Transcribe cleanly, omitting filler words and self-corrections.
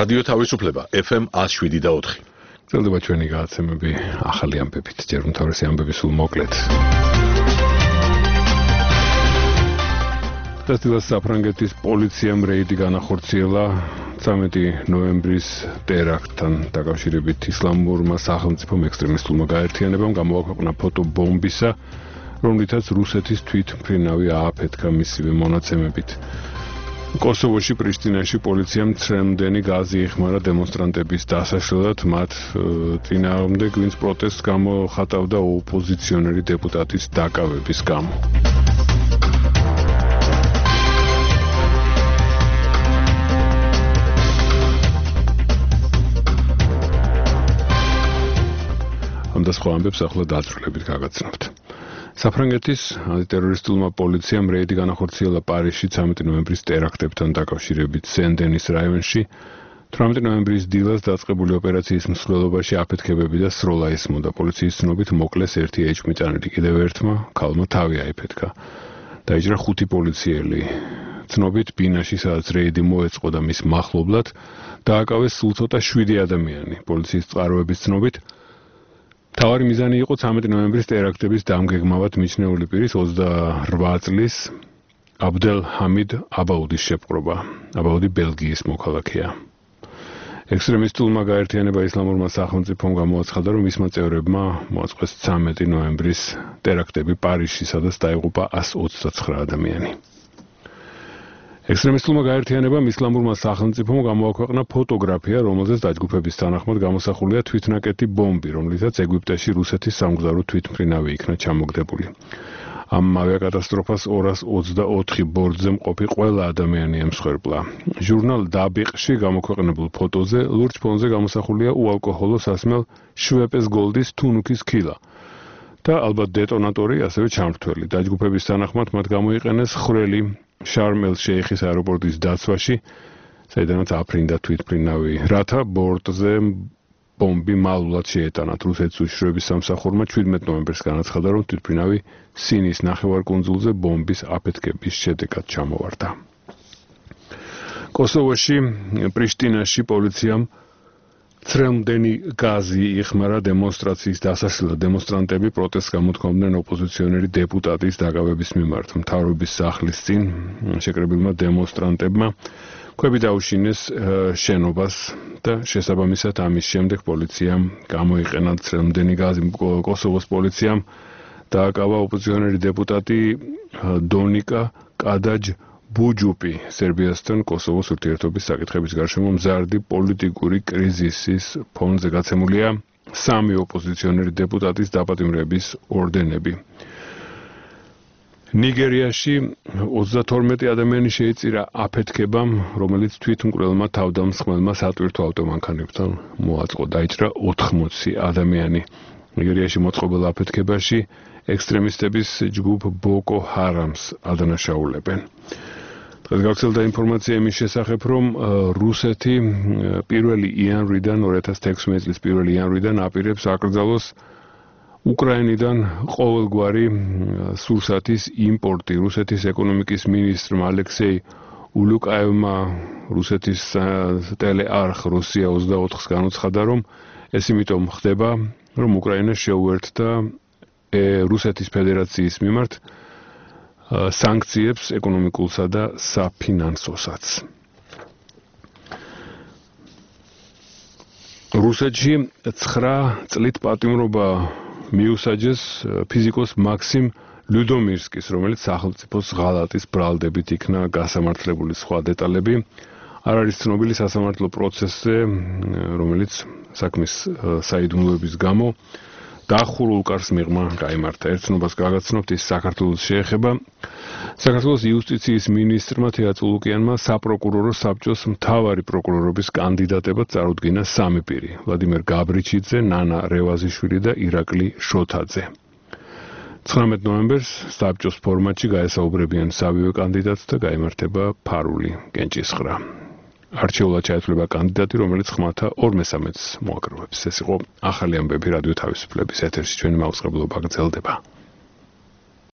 რადიო თავისუფლება FM 107.4. გრძელდება ჩვენი გადაცემები ახალი ამბებით, ჯერ უმთავრესი ამბები სულ მოკლედ. დღეს საფრანგეთის პოლიციამ რეიდი განახორციელა 13 ნოემბრის ტერაქტთან დაკავშირებით ისლამურმა სახელმწიფომ ექსტრემისტულმა გაერთიანებამ გამოაქვეყნა ფოტო ბომბისა, რომლითაც რუსეთის თვითმფრინავი ააფეთქა მისივე მონაცემებით. კოსოვოში პრიშტინაში პოლიციამ ცრემლდენი გაზი იხმარა დემონსტრანტების დასაშლელად, მათ წინააღმდეგ, ვინც პროტესტს გამოხატავდა ოპოზიციონერი დეპუტატის დაკავების გამო. ამ და სხვა ამბებს ახლა დაწვრილებით გაგაცნობთ. საფრანგეთის ანტიტერორისტულმა პოლიციამ რეიდი განახორციელა პარიზში 13 ნოემბრის ტერაქტებთან დაკავშირებით სენ-დენის რაიონში. 18 ნოემბრის დილას დაწყებული ოპერაციის მსვლელობაში აფეთქებები და სროლა ისმოდა. პოლიციის ცნობით მოკლეს ერთი ეჭვმიტანილი, კიდევ ერთმა ქალმა თავი აიფეთქა. დაიჭრა 5 პოლიციელი. ცნობით ბინაში, სადაც რეიდი მოეწყო და მის მახლობლად დააკავეს სულ ცოტა 7 ადამიანი. პოლიციის წყაროების ცნობით თავარი მიზანი იყო 13 ნოემბრის ტერაქტების დამგეგმავად მიჩნეული პირის 28 წლის აბდელ ჰამიდ აბაუდის შეპყრობა. აბაუდი ბელგიის მოქალაქეა. ექსტრემისტულმა გაერთიანება ისლამურმა სახელმწიფომ გამოაცხადა, რომ მისმა წევრებმა მოაწყვეს 13 ნოემბრის ტერაქტები პარიზში, სადაც დაიღუპა 129 ადამიანი. ექსტრემისტულმა გაერთიანებამ ისლამურმა სახელმწიფომ გამოაქვეყნა ფოტოგრაფია, რომელზეც დაჯგუფების თანახმად გამოსახულია თვითნაკეთი ბომბი, რომლითაც ეგვიპტეში რუსეთის სამგზავრო თვითმფრინავი იქნა ჩამოგდებული. ამ ავიაკატასტროფას 224 ბორტზე მყოფი ყველა ადამიანი ემსხვერპლა. ჟურნალ დაბიყში გამოქვეყნებულ ფოტოზე ლურჯ ფონზე გამოსახულია უალკოჰოლო სასმელ შვეპეს გოლდის თუნუქის ქილა და ალბათ დეტონატორი, ასევე ჩამრთველი. დაჯგუფების თანახმად მათ გამოიყენეს ხვრელი შარმ-ელ-შეიხის აეროპორტის დაცვაში, საიდანაც აფრინდა თვითმფრინავი, რათა ბორტზე ბომბი მალულად შეეტანათ. რუსეთის უშიშროების სამსახურმა 17 ნოემბერს განაცხადა, რომ თვითმფრინავი სინის ნახევარკუნძულზე ბომბის აფეთქების შედეგად ჩამოვარდა. კოსოვოში პრიშტინაში პოლიციამ ცრემლდენი გაზი იხმარა დემონსტრაციის დასაშლელად. დემონსტრანტები პროტესტს გამოთქვამდნენ ოპოზიციონერი დეპუტატის დაკავების მიმართ. მთავრობის სახლის წინ შეკრებილმა დემონსტრანტებმა ქვები დაუშინეს შენობას და შესაბამისად ამის შემდეგ პოლიციამ გამოიყენა ცრემლდენი გაზი. კოსოვოს პოლიციამ დააკავა ოპოზიციონერი დეპუტატი დონიკა კადაჯ ბუჯუპი. სერბიასთან კოსოვოს ურთიერთობის საკითხების გარშემო მზარდი პოლიტიკური კრიზისის ფონზე გაცემულია 3 ოპოზიციონერი დეპუტატის დაპატიმრების ორდენები. ნიგერიაში 32 ადამიანი შეიწირა აფეთქებამ, რომელიც თვითმკვლელმა თავდამსხმელმა სატვირთო ავტომანქანებთან მოაწყო. დაიჭრა 80 ადამიანი. ნიგერიაში მოწყობილ აფეთქებაში ექსტრემისტების ჯგუფ ბოკო ჰარამს ადანაშაულებენ. დღეს გავრცელდა ინფორმაცია იმის შესახებ, რომ რუსეთი 1 იანვრიდან 2016 წლის 1 იანვრიდან აპირებს აკრძალოს უკრაინიდან ყოველგვარი სურსათის იმპორტი. რუსეთის ეკონომიკის მინისტრმა ალექსეი ულუკაევმა რუსეთის ტელეარხ რუსია 24-ს განუცხადა, რომ ეს იმიტომ ხდება, რომ უკრაინა შეუერთდა რუსეთის ფედერაციის მიმართ სანქციებს ეკონომიკულსა და საფინანსოსაც. რუსეთში 9 წლით პატიმრობა მიუსაჯეს ფიზიკოს მაქსიმ ლუდომირსკის, რომელიც სახელმწიფოს ღალატის ბრალდებით იქნა გასამართლებული. სხვა დეტალები არ არის ცნობილი სასამართლო პროცესზე, რომელიც საქმის საიდუმლოების გამო დახურულ კარს მიღმა გაიმართა. ერთნობას გაგაცნობთ, ის საქართველოს შეეხება. საქართველოს იუსტიციის მინისტრმა თეატრულუკიანმა საპროკურორო საბჭოს მთავარი პროკურორობის კანდიდატებად წარუდგინა 3 პირი: ვლადიმერ გაბრიჩიძე, ნანა რევაზიშვილი და ირაკლი შოთაძე. 19 ნოემბერს საბჭოს ფორმატში გაესაუბრებიან სამივე კანდიდატს და გაიმართება ფარული კენჭისყრა. არჩეულად ჩაეცვლება კანდიდატი, რომელიც ხმათა 2/3-ს მოაკროვებს. ეს იყო ახალი ამბები რადიო თავისუფლების ეთერში. ჩვენი მაუწყებლობა გრძელდება.